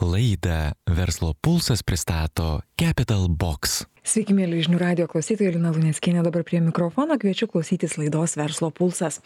Laidą Verslo pulsas pristato Capital Box. Sveiki, mėly žinių radijo klausytojai, Lina Luneckienė dabar prie mikrofono, kviečiu klausytis laidos Verslo pulsas.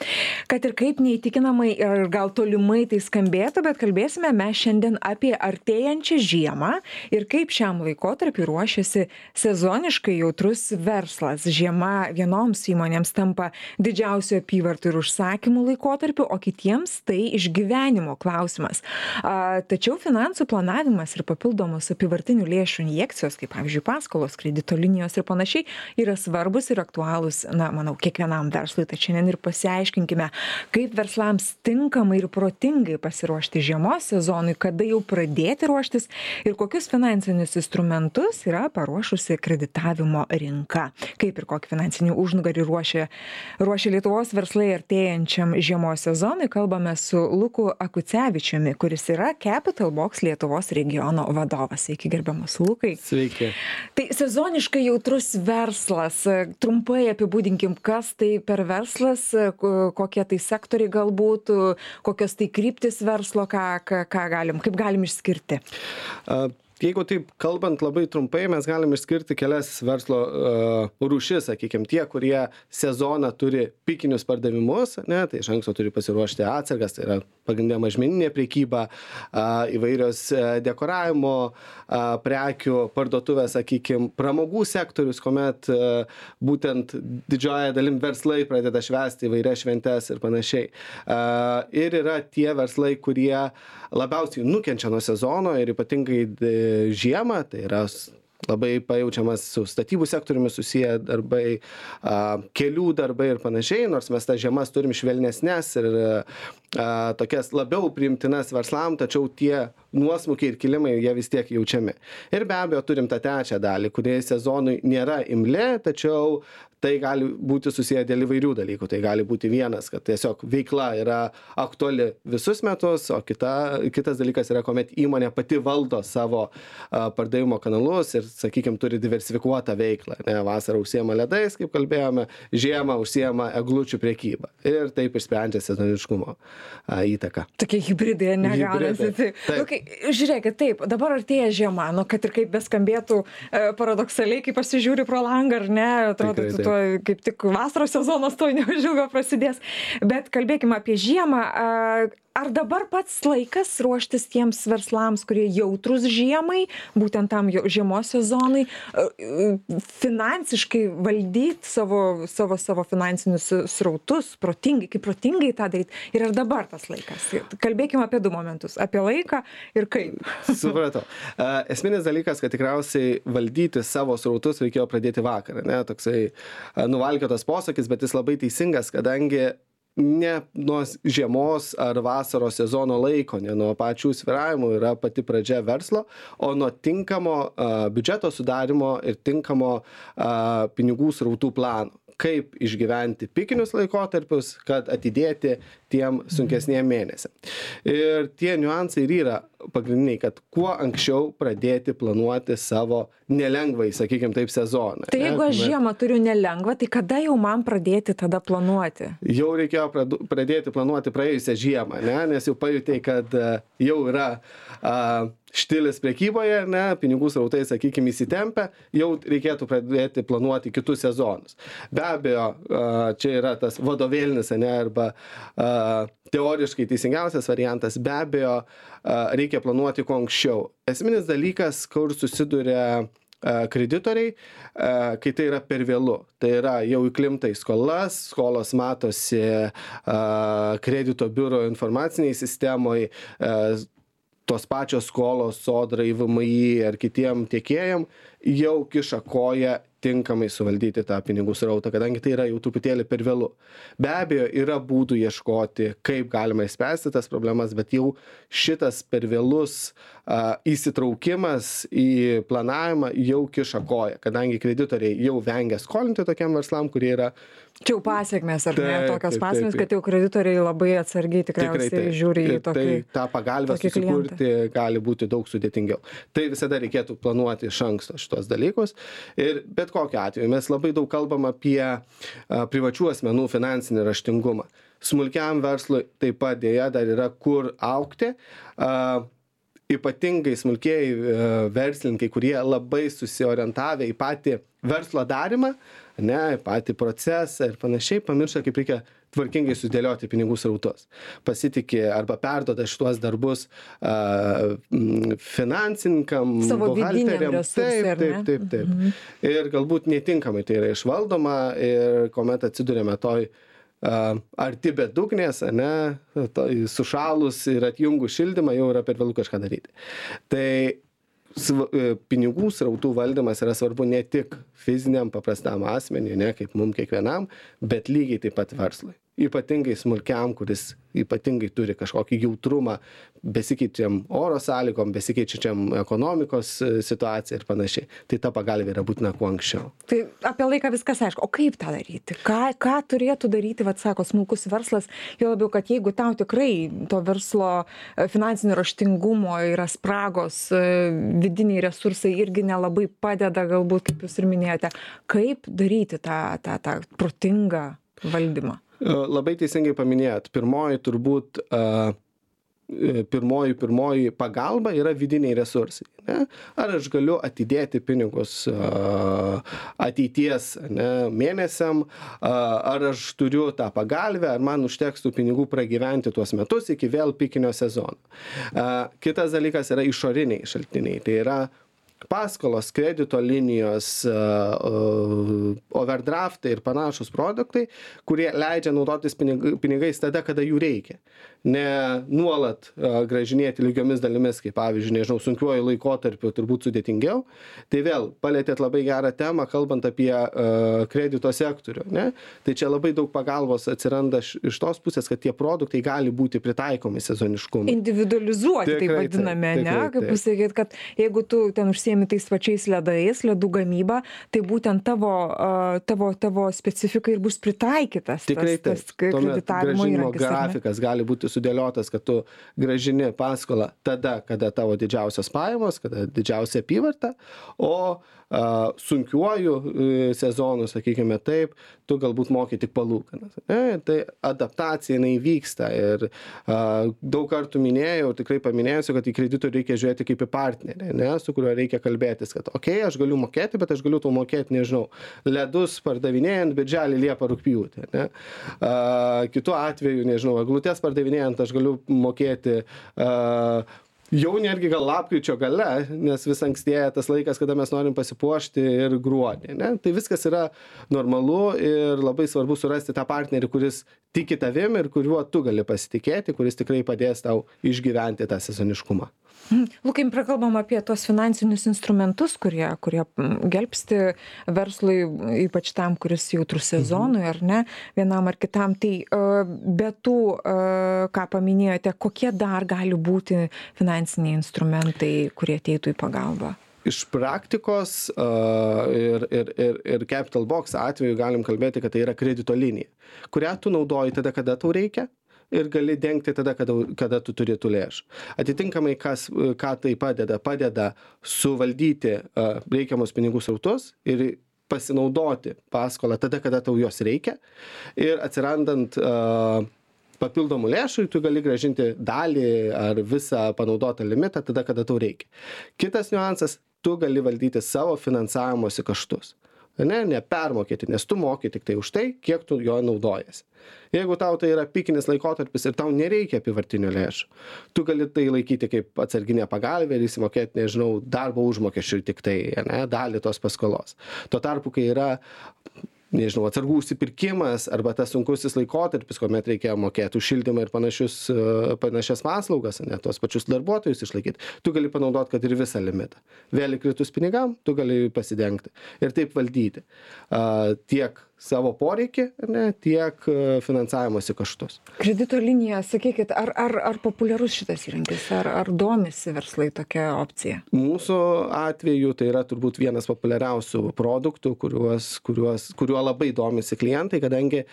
Kad ir kaip neįtikinamai ir gal tolimai tai skambėtų, bet kalbėsime mes šiandien apie artėjančią žiemą ir kaip šiam laikotarpiu ruošiasi sezoniškai jautrus verslas. Žiema vienoms įmonėms tampa didžiausių apyvartų ir užsakymų laikotarpiu, o kitiems tai išgyvenimo klausimas. Tačiau finansų planavimas ir papildomos apyvartinių lėšų injekcijos, kaip pavyzdžiui paskolos, kredito linijos ir panašiai, yra svarbus ir aktualūs, manau, kiekvienam verslui. Tad šiandien ir pasiaiškinkime, kaip verslams tinkamai ir protingai pasiruošti žiemos sezonui, kada jau pradėti ruoštis ir kokius finansinius instrumentus yra paruošusi kreditavimo rinka. Kaip ir kokį finansinį užnugarį ruošia Lietuvos verslai artėjančiam žiemos sezonui, kalbame su Luku Akucevičiumi, kuris yra Capital Box Lietuvos regiono vadovas. Sveiki, gerbiamas Lukai. Sveiki. Tai sezoniškai jautrus verslas. Trumpai apibūdinkim, kas tai per verslas, kokie tai sektoriai galbūt, kokios tai kryptis verslo, kaip galim išskirti. Jeigu taip kalbant labai trumpai, mes galim išskirti kelias verslo rūšis, sakykime, tie, kurie sezoną turi pikinius pardavimus, tai iš anksto turi pasiruošti atsargas, tai yra pagrindinė mažmeninė prekyba, įvairios dekoravimo prekių parduotuvės, sakykime, pramogų sektorius, kuomet būtent didžioji dalim verslai pradeda švęsti įvairias šventes ir panašiai. Ir yra tie verslai, kurie labiausiai nukenčia nuo sezono ir ypatingai žiemą, tai yra labai pajaučiamas su statybų sektoriumi susiję darbai, kelių darbai ir panašiai, nors mes tas žiemas turim švelnesnes ir tokias labiau priimtinas verslam, tačiau tie nuosmukiai ir kilimai jie vis tiek jaučiami. Ir be abejo turim tą trečią dalį, kurie sezonui nėra imli, tačiau tai gali būti susiję dėl įvairių dalykų. Tai gali būti vienas, kad tiesiog veikla yra aktuali visus metus, o kitas dalykas yra, kuomet įmonė pati valdo savo pardavimo kanalus ir, sakykime, turi diversifikuotą veiklą. Vasarą užsiema ledais, kaip kalbėjome, žiemą užsiema eglučių prekybą. Ir taip išsprendžia sezoniškumo įtaką. Tokie hibridai negaunasi. Žiūrėkit, taip, dabar artėja žiema, kad ir kaip beskambėtų paradoksaliai, kai pasižiūri pro langą, ar ne, atrodo, kaip tik vasaros sezonas to neužilgo prasidės. Bet kalbėkime apie žiemą. Ar dabar pats laikas ruoštis tiems verslams, kurie jautrus žiemai, būtent tam žiemos sezonui, finansiškai valdyti savo finansinius srautus, kaip protingai tą daryti? Ir ar dabar tas laikas? Kalbėkime apie du momentus, apie laiką ir kaip. Supratau. Esminis dalykas, kad tikriausiai valdyti savo srautus reikėjo pradėti vakarą. Toksai nuvalkiotas posakis, bet jis labai teisingas, kadangi ne nuo žiemos ar vasaros sezono laiko, ne nuo pačių svyravimų yra pati pradžia verslo, o nuo tinkamo biudžeto sudarimo ir tinkamo pinigų srautų plano. Kaip išgyventi pikinius laikotarpius, kad atidėti tiem sunkesniem mėnesiam. Ir tie niuansai ir yra pagrindiniai, kad kuo anksčiau pradėti planuoti savo nelengvai, sakykime taip, sezoną. Tai jeigu aš žiemą turiu nelengvą, tai kada jau man pradėti tada planuoti? Jau reikėjo pradėti planuoti praėjusią žiemą, nes jau pajutėjai, kad jau yra štilis prekyboje, pinigų srautai, sakykime, įsitempę, jau reikėtų pradėti planuoti kitus sezonus. Be abejo, čia yra tas vadovėlinis, arba teoriškai teisingiausias variantas, be abejo, reikia planuoti kuo anksčiau. Esminis dalykas, kur susiduria kreditoriai, kai tai yra per vėlu. Tai yra jau įklimta į skolos matosi kredito biuro informaciniai sistemoje, tos pačios skolos Sodrai, VMI ar kitiem tiekėjam jau kiša koją tinkamai suvaldyti tą pinigų srautą, kadangi tai yra jau truputėlį per vėlu. Be abejo, yra būdų ieškoti, kaip galima išspręsti tas problemas, bet jau šitas per vėlus įsitraukimas į planavimą jau kiša koją, kadangi kreditoriai jau vengia skolinti tokiam verslam, kurie yra... Čia jau pasiekmes, ar ne? Tokios pasiekmes, kad jau kreditoriai labai atsargiai tikriausiai žiūri į tokį klientą. Tai tą pagalbę susikurti gali būti daug sudėtingiau. Tai visada reikėtų planuoti iš anksto šitos dalykus. Ir bet kokiu atveju mes labai daug kalbam apie privačių asmenų finansinį raštingumą. Smulkiam verslui taip pat dėja dar yra kur augti. ypatingai smulkieji verslininkai, kurie labai susiorientavę į patį verslo darimą, ne, patį procesą ir panašiai, pamiršta, kaip reikia tvarkingai sudėlioti pinigų srautus. Pasitikė arba perduoda šituos darbus finansininkam, buhalteriam. Taip. Ir galbūt netinkamai tai yra išvaldoma ir kuomet atsidurėme toj arti bedugnės, ne, sušalus ir atjungus šildymą jau yra per vėlų kažką daryti. Tai pinigų srautų valdymas yra svarbu ne tik fiziniam paprastam asmeniui, ne, kaip mums kiekvienam, bet lygiai taip pat verslui. Ypatingai smulkiam, kuris ypatingai turi kažkokį jautrumą besikeičiam oro sąlygom, besikeičiam ekonomikos situaciją ir panašiai. Tai ta pagalbė yra būtina kuo anksčiau. Tai apie laiką viskas aišku. O kaip tą daryti? Ką turėtų daryti, sako, smulkus verslas? Jo labiau, kad jeigu tau tikrai to verslo finansinio raštingumo yra spragos, vidiniai resursai irgi nelabai padeda, galbūt, kaip jūs ir minėjote, kaip daryti tą protingą valdymą? Labai teisingai paminėjot. Pirmoji pagalba yra vidiniai resursai. Ne? Ar aš galiu atidėti pinigus ateities, ne, mėnesiam, ar aš turiu tą pagalbę, ar man užteks tų pinigų pragyventi tuos metus iki vėl pikinio sezono. Kitas dalykas yra išoriniai šaltiniai. Tai yra paskolos, kredito linijos, overdraftai ir panašus produktai, kurie leidžia naudotis pinigais tada, kada jų reikia. Ne nuolat grąžinėti lygiomis dalimis, kaip pavyzdžiui, nežinau, sunkiuoju laikotarpiu turbūt sudėtingiau. Tai vėl palėtėt labai gerą temą, kalbant apie kredito sektorių. Ne? Tai čia labai daug pagalbos atsiranda iš tos pusės, kad tie produktai gali būti pritaikomi sezoniškumui. Individualizuoti, taip vadiname, ne? Kaip pasakyti, kad jeigu tu ten užsiemi tais pačiais ledais, ledų gamyba, tai būtent tavo specifika ir bus pritaikytas. Tikrai tas kreditavimo įrankis. Grafikas gali būti sudėliotas, kad tu grąžini paskolą tada, kada tavo didžiausios pajamos, kada didžiausia apyvarta, o sunkiuoju sezonu, sakykime taip, tu galbūt moki tik palūkanas. Tai adaptacija jinai vyksta ir daug kartų minėjau, tikrai paminėsiu, kad į kreditorių reikia žiūrėti kaip į partnerį, ne, su kuriuo reikia kalbėtis, kad aš galiu mokėti, bet aš galiu tau mokėti, nežinau, ledus pardavinėjant, birželį, liepą, rugpjūtį. Ne. Kitu atveju, nežinau, eglutes pardavinėjant aš galiu mokėti jau netgi gal lapkričio gale, nes vis ankstėja tas laikas, kada mes norim pasipuošti ir gruodį. Ne? Tai viskas yra normalu ir labai svarbu surasti tą partnerį, kuris tiki tavim ir kuriuo tu gali pasitikėti, kuris tikrai padės tau išgyventi tą sezoniškumą. Lukai, prakalbam apie tos finansinius instrumentus, kurie gelbsti verslui, ypač tam, kuris jautrus sezonui, ar ne, vienam ar kitam. Tai be tų, ką paminėjote, kokie dar gali būti finansiniai instrumentai, kurie ateitų į pagalbą? Iš praktikos ir Capital Box atveju galim kalbėti, kad tai yra kredito linija, kurią tu naudoji tada, kada tau reikia, ir gali dengti tada, kada tu turi tų lėšų. Atitinkamai, ką tai padeda? Padeda suvaldyti reikiamus pinigų srautus ir pasinaudoti paskolą tada, kada tau jos reikia. Ir atsirandant papildomų lėšų, tu gali grąžinti dalį ar visą panaudotą limitą tada, kada tau reikia. Kitas niuansas, tu gali valdyti savo finansavimosi kaštus. Nepermokėti, nes tu moki tik tai už tai, kiek tu jo naudojasi. Jeigu tau tai yra pikinis laikotarpis ir tau nereikia apyvartinių lėšų, tu gali tai laikyti kaip atsarginę pagalbę ir įsimokėti, nežinau, darbo užmokesčių tik tai, ne, dalį tos paskolos. Tuo tarpu, kai yra, nežinau, atsargų užsipirkimas arba tas sunkusis laikotarpis, kuomet reikia mokėti už šildymą ir panašias paslaugas, ne, tuos pačius darbuotojus išlaikyti, tu gali panaudoti, kad ir visą limitą. Vėl įkritus pinigam, tu gali pasidengti ir taip valdyti tiek savo poreikį, ne, tiek finansavimosi kaštus. Kredito linija, sakykit, ar populiarus šitas įrankis, ar domisi verslai tokia opcija? Mūsų atveju tai yra turbūt vienas populiariausių produktų, kuriuo labai domisi klientai, kadangi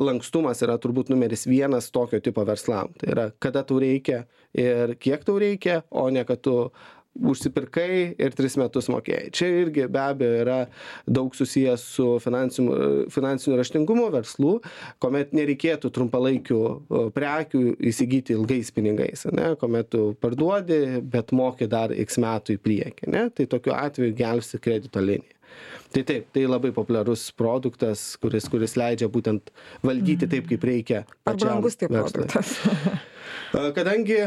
lankstumas yra turbūt numeris 1 tokio tipo verslam. Tai yra, kada tau reikia ir kiek tau reikia, o ne kad tu užsipirkai ir 3 metus mokėjai. Čia irgi be abejo yra daug susijęs su finansiniu raštingumu verslų, kuomet nereikėtų trumpalaikių prekių įsigyti ilgais pinigais, ne, kuomet tu parduodi, bet moki dar x metų į priekį, ne, tai tokiu atveju gelbsti kredito liniją. Tai taip, tai labai populiarus produktas, kuris leidžia būtent valdyti taip, kaip reikia. Ar brangus tai produktas? Kadangi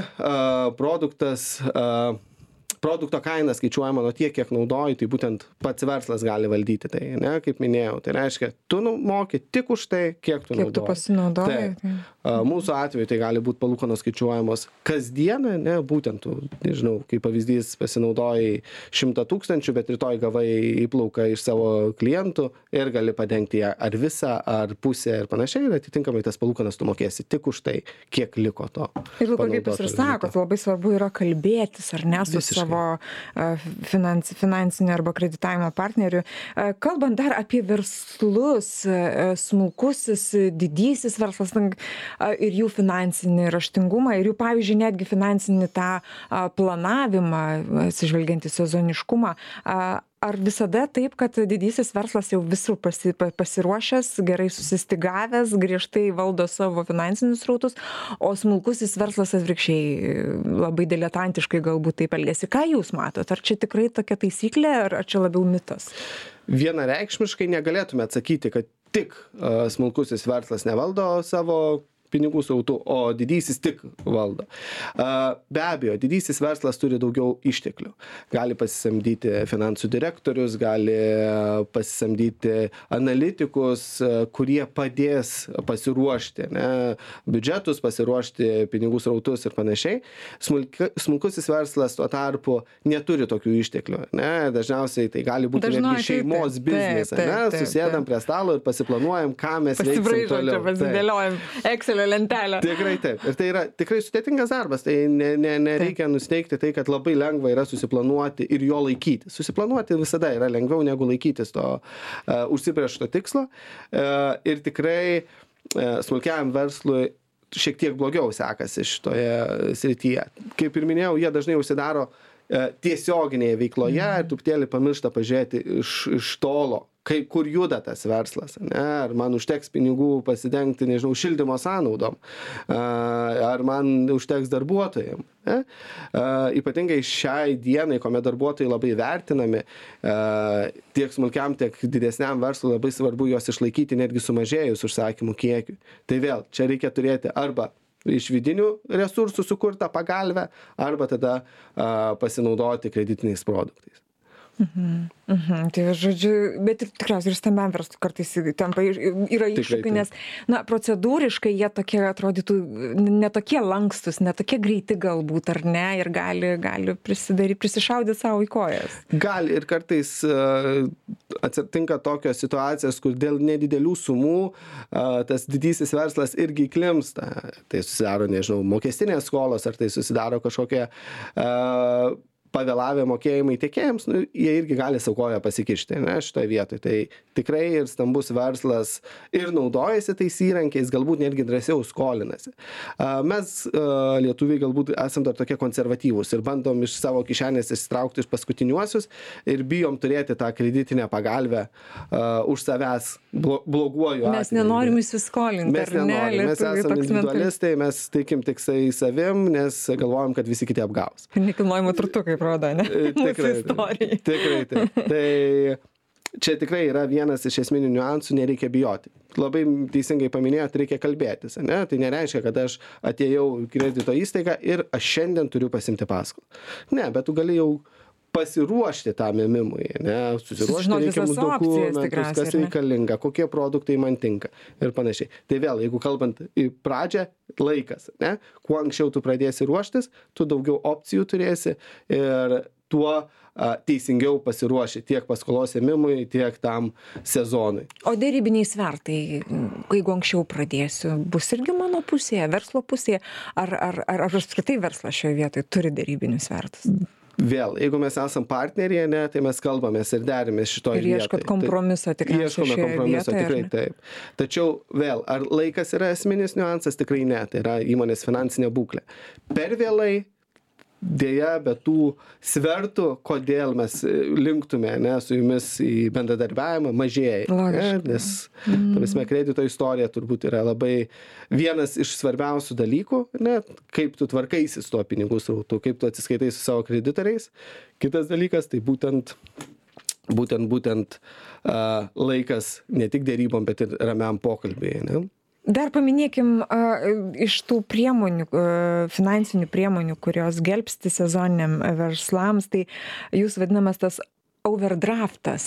produkto kaina skaičiuojama nuo tiek, kiek naudoji, tai būtent pats verslas gali valdyti tai, ne, kaip minėjau. Tai reiškia, tu moki tik už tai, kiek tu naudoji. Kiek tu pasinaudoji. Mūsų atveju tai gali būti palūkanos skaičiuojamos kasdieną, ne, būtent tu, nežinau, kaip pavyzdys, pasinaudojai 100 000, bet rytoj gavai įplauką iš savo klientų ir gali padengti ją ar visą, ar pusę ir panašiai, ir atitinkamai tas palūkanas tu mokėsi tik už tai, kiek liko to. Ir kaip jūs ir sakot, labai svarbu yra kalbėtis, ar ne, su savo finansinio arba kreditavimo partneriu. Kalbant dar apie verslus, smulkusis, didysis verslas ir jų finansinį raštingumą, ir jų, pavyzdžiui, netgi finansinį tą planavimą, atsižvelgiant į sezoniškumą. Ar visada taip, kad didysis verslas jau visur pasiruošęs, gerai susistygavęs, griežtai valdo savo finansinius srautus, o smulkusis verslas atvirkščiai labai diletantiškai galbūt taip elgiasi? Ką jūs matot? Ar čia tikrai tokia taisyklė, ar čia labiau mitas? Vienareikšmiškai negalėtume atsakyti, kad tik smulkusis verslas nevaldo savo pinigų srautų, o didysis tik valdo. Be abejo, didysis verslas turi daugiau išteklių. Gali pasisamdyti finansų direktorius, gali pasisamdyti analitikus, kurie padės pasiruošti, ne, biudžetus, pasiruošti pinigų srautus ir panašiai. Smulkusis verslas tuo tarpu neturi tokių išteklių. Ne? Dažniausiai tai gali būti netgi šeimos biznis. Susėdam prie stalo ir pasiplanuojam, ką mes veiksim toliau. Pasidėliojam Excelio lentelę. Tikrai taip. Ir tai yra tikrai sudėtingas darbas. Tai nereikia nusteikti tai, kad labai lengva yra susiplanuoti ir jo laikyti. Susiplanuoti visada yra lengviau negu laikytis to užsibrėžto tikslo. Ir tikrai smulkiajam verslui šiek tiek blogiau sekasi šitoje srityje. Kaip ir minėjau, jie dažnai užsidaro tiesioginėje veikloje ir truputėlį pamiršta pažiūrėti iš tolo, kur juda tas verslas, ne? Ar man užteks pinigų pasidengti, nežinau, šildymo sąnaudom, ar man užteks darbuotojams. Ne? Ypatingai šiai dienai, kuomet darbuotojai labai vertinami, tiek smulkiam, tiek didesniam verslui labai svarbu juos išlaikyti netgi sumažėjus užsakymų kiekiui. Tai vėl, čia reikia turėti arba iš vidinių resursų sukurtą pagalbę, arba tada pasinaudoti kreditiniais produktais. Tai žodžiu, bet ir tikriausiai ir stambiam verslui kartais tampa yra iššūkių, nes procedūriškai jie tokie atrodytų netokie lankstus, netokie greiti galbūt, ar ne, ir gali prisišaudyti savo į kojas. Gali ir kartais atsitinka tokios situacijos, kur dėl nedidelių sumų tas didysis verslas irgi įklimpsta. Tai susidaro, nežinau, mokestinės skolos, ar tai susidaro kažkokie pavėlavę mokėjimai tiekėjams, jie irgi gali savo koją pasikišti, ne, šitoje vietoje. Tai tikrai ir stambus verslas ir naudojasi tais įrankiais, galbūt netgi drąsiau skolinasi. Mes, lietuviai, galbūt esam dar tokie konservatyvūs ir bandom iš savo kišenės išsitraukti iš paskutiniuosius ir bijom turėti tą kreditinę pagalbę už savęs bloguoju atveju. Mes nenorim įsiskolinti. Mes nenorim, mes esame individualistai, mes tikim tik savim, nes galvojam, kad visi kiti apgaus. Nekilnojamo turtu, kaip rodo, ne? Tikrai taip. Tai čia tikrai yra vienas iš esminių niuansų, nereikia bijoti. Labai teisingai paminėjot, reikia kalbėtis, ne? Tai nereiškia, kad aš atėjau į kredito įstaigą ir aš šiandien turiu pasimti paskolą. Ne, bet tu gali jau pasiruošti tam ėmimui, ne? Susiruošti reikiamus dokumentus, kas reikalinga, kokie produktai man tinka ir panašiai. Tai vėl, jeigu kalbant į pradžią, laikas, ne? Kuo anksčiau tu pradėsi ruoštis, tu daugiau opcijų turėsi ir tuo teisingiau pasiruoši tiek paskolos ėmimui, tiek tam sezonui. O dėrybiniai svertai, jeigu anksčiau pradėsiu, bus irgi mano pusėje, verslo pusėje, ar apskritai verslas šioje vietoje turi dėrybinius svertus? Vėl, jeigu mes esam partneriai, ne, tai mes kalbamės ir derimės šitoje vietoje. Ir ieškot kompromiso tikriausiai šioje vietoje. Ieškome kompromiso, tikrai taip. Tačiau vėl, ar laikas yra esminis niuansas? Tikrai ne, tai yra įmonės finansinė būklė. Per vėlai dėja, be tų svertų, kodėl mes linktume, ne, su jumis į bendradarbiavimą, mažėja. Nes, ta prasme, kredito istorija turbūt yra labai vienas iš svarbiausių dalykų, ne, kaip tu tvarkaisi su tuo pinigų srautu, kaip tu atsiskaitai su savo kreditoriais. Kitas dalykas, tai būtent laikas ne tik dėrybom, bet ir ramiam pokalbėje. Ne? Dar paminėkim iš tų priemonių, finansinių priemonių, kurios gelbsti sezoniniam verslams, tai jūs vadinamas tas overdraftas,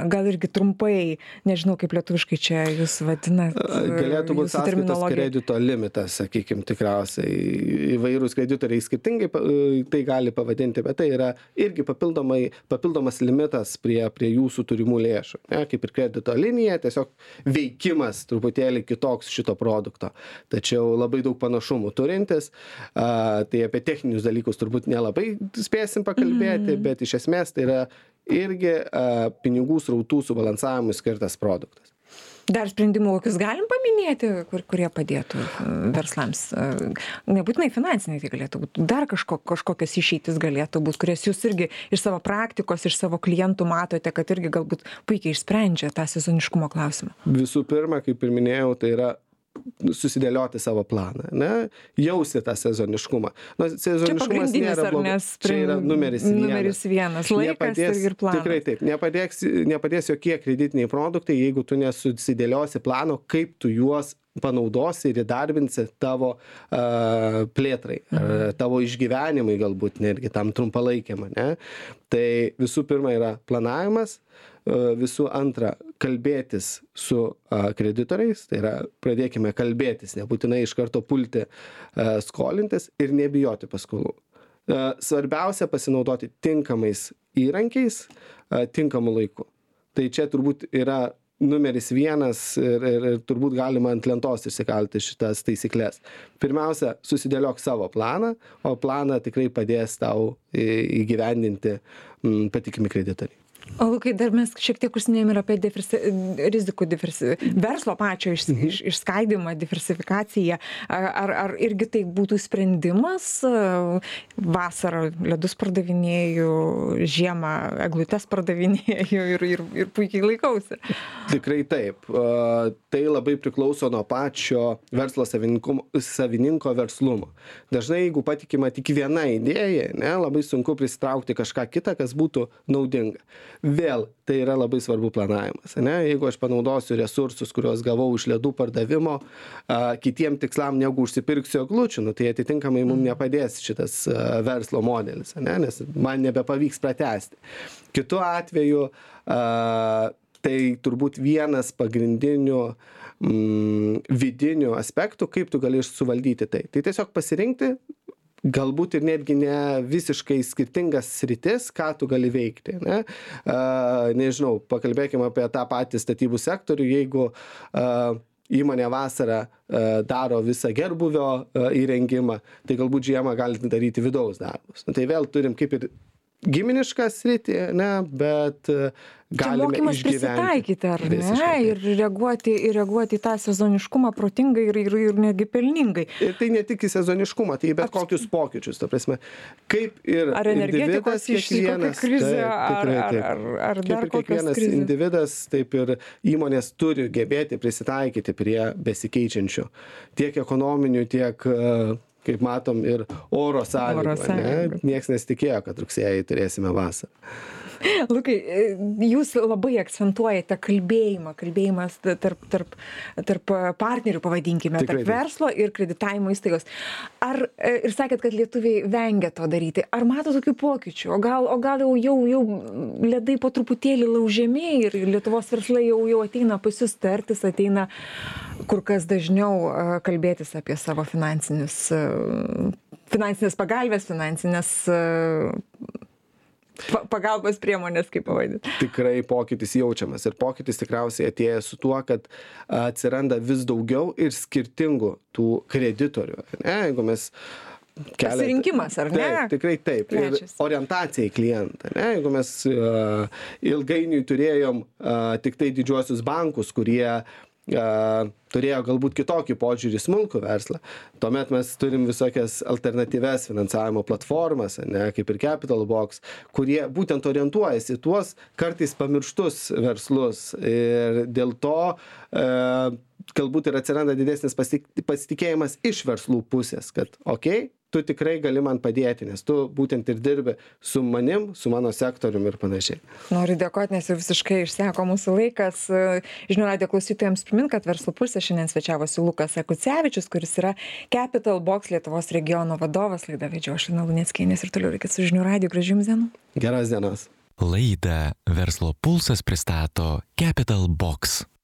gal irgi trumpai, nežinau kaip lietuviškai čia jūs vadinat. Galėtų būti sąskaitos kredito limitas, sakykime, tikriausiai. Įvairūs kreditoriai skirtingai tai gali pavadinti, bet tai yra irgi papildomas limitas prie jūsų turimų lėšų. Ne? Kaip ir kredito linija, tiesiog veikimas truputėlį kitoks šito produkto. Tačiau labai daug panašumų turintis. Tai apie techninius dalykus turbūt nelabai spėsim pakalbėti, bet iš esmės tai yra irgi pinigų srautų subalansavimui skirtas produktas. Dar sprendimų kokius galim paminėti, kurie padėtų verslams? Nebūtinai finansiniai tai galėtų būti. Dar kažkokios išeitis galėtų būti, kurias jūs irgi iš savo praktikos, iš savo klientų matote, kad irgi galbūt puikiai išsprendžia tą sezoniškumo klausimą. Visų pirma, kaip ir minėjau, tai yra susidėlioti savo planą, ne? Jausti tą sezoniškumą. Sezoniškumas nėra blogas. Čia yra numeris vienas. Laikas ir planas. Tikrai taip. Nepadės jokie kreditiniai produktai, jeigu tu nesusidėliosi plano, kaip tu juos panaudosi ir įdarbinsi tavo plėtrai, tavo išgyvenimai galbūt netgi tam trumpalaikiam, ne? Tai visų pirma yra planavimas, visų antra kalbėtis su kreditoriais, tai yra pradėkime kalbėtis, nebūtinai iš karto pulti skolintis ir nebijoti paskolų. Svarbiausia pasinaudoti tinkamais įrankiais, tinkamu laiku. Tai čia turbūt yra numeris vienas ir turbūt galima ant lentos išsikalti šitas taisyklės. Pirmiausia, susidėliok savo planą, o planą tikrai padės tau įgyvendinti patikimi kreditoriai. O Lukai, dar mes šiek tiek užsiminėm ir apie rizikų verslo pačio išskaidymą, diversifikaciją. Ar irgi tai būtų sprendimas? Vasarą ledus pardavinėju, žiemą eglutes pardavinėju ir puikiai laikausi. Tikrai taip. Tai labai priklauso nuo pačio verslo savininko verslumo. Dažnai, jeigu patikima tik viena idėja, ne, labai sunku prisitraukti kažką kitą, kas būtų naudinga. Vėl tai yra labai svarbu planavimas. Ne? Jeigu aš panaudosiu resursus, kuriuos gavau iš ledų pardavimo, kitiem tikslam negu užsipirksiu eglučių, tai atitinkamai mums nepadės šitas verslo modelis, ne? Nes man nebepavyks pratęsti. Kitu atveju tai turbūt vienas pagrindinių vidinių aspektų, kaip tu gali suvaldyti tai. Tai tiesiog pasirinkti galbūt ir netgi ne visiškai skirtingas sritis, ką tu gali veikti. Ne? Nežinau, pakalbėkime apie tą patį statybų sektorių, jeigu įmonė vasarą daro visą gerbuvio įrengimą, tai galbūt žiemą gali daryti vidaus darbus. Tai vėl turim kaip ir giminišką sritį, ne, bet galime mokymas prisitaikyti, ar ne, ir reaguoti į tą sezoniškumą protingai ir netgi pelningai. Ir tai ne tik į sezoniškumą, tai bet kokius pokyčius, ta prasme, kaip ir ar energetikos kiekvienas krizė, ar dar kiekvienas individas, taip ir įmonės turi gebėti prisitaikyti prie besikeičiančių tiek ekonominių, tiek kaip matom, ir oro sąlygų. Niekas nesitikėjo, kad rugsėjį turėsime vasarą. Lukai, jūs labai akcentuojate kalbėjimas tarp partnerių, pavadinkime, tarp verslo ir kreditavimo įstaigos. Ir sakėt, kad lietuviai vengia to daryti. Ar mato tokių pokyčių? O gal jau ledai po truputėlį laužiami ir Lietuvos verslai jau ateina pas jus tartis, ateina kur kas dažniau kalbėtis apie savo finansinės pagalbės, finansinės pagalbos priemonės, kaip pavadinti. Tikrai pokytis jaučiamas ir pokytis tikriausiai atėjęs su tuo, kad atsiranda vis daugiau ir skirtingų tų kreditorių. Ne? Jeigu mes pasirinkimas, ar ne? Taip, tikrai taip. Ir orientacija į klientą. Ne? Jeigu mes ilgainiui turėjom tik tai didžiuosius bankus, kurie turėjo galbūt kitokį požiūrį į smulkų verslą. Tuomet mes turim visokias alternatyves finansavimo platformas, ne, kaip ir Capital Box, kurie būtent orientuojasi į tuos kartais pamirštus verslus. Ir dėl to galbūt ir atsiranda didesnis pasitikėjimas iš verslų pusės, kad tu tikrai gali man padėti, nes tu būtent ir dirbi su manim, su mano sektoriumi ir panašiai. Noriu dėkoti, nes jau visiškai išseko mūsų laikas. Žinių radijo klausytojams primint, kad Verslo pulse šiandien svečiavosi Lukas Akucevičius, kuris yra Capital Box Lietuvos regiono vadovas. Laidą vedžiau aš, Lina Luneckienė, ir toliau likit su Žinių radiju. Gražių jums dienų. Geros dienos. Laidą Verslo pulsas pristato Capital Box.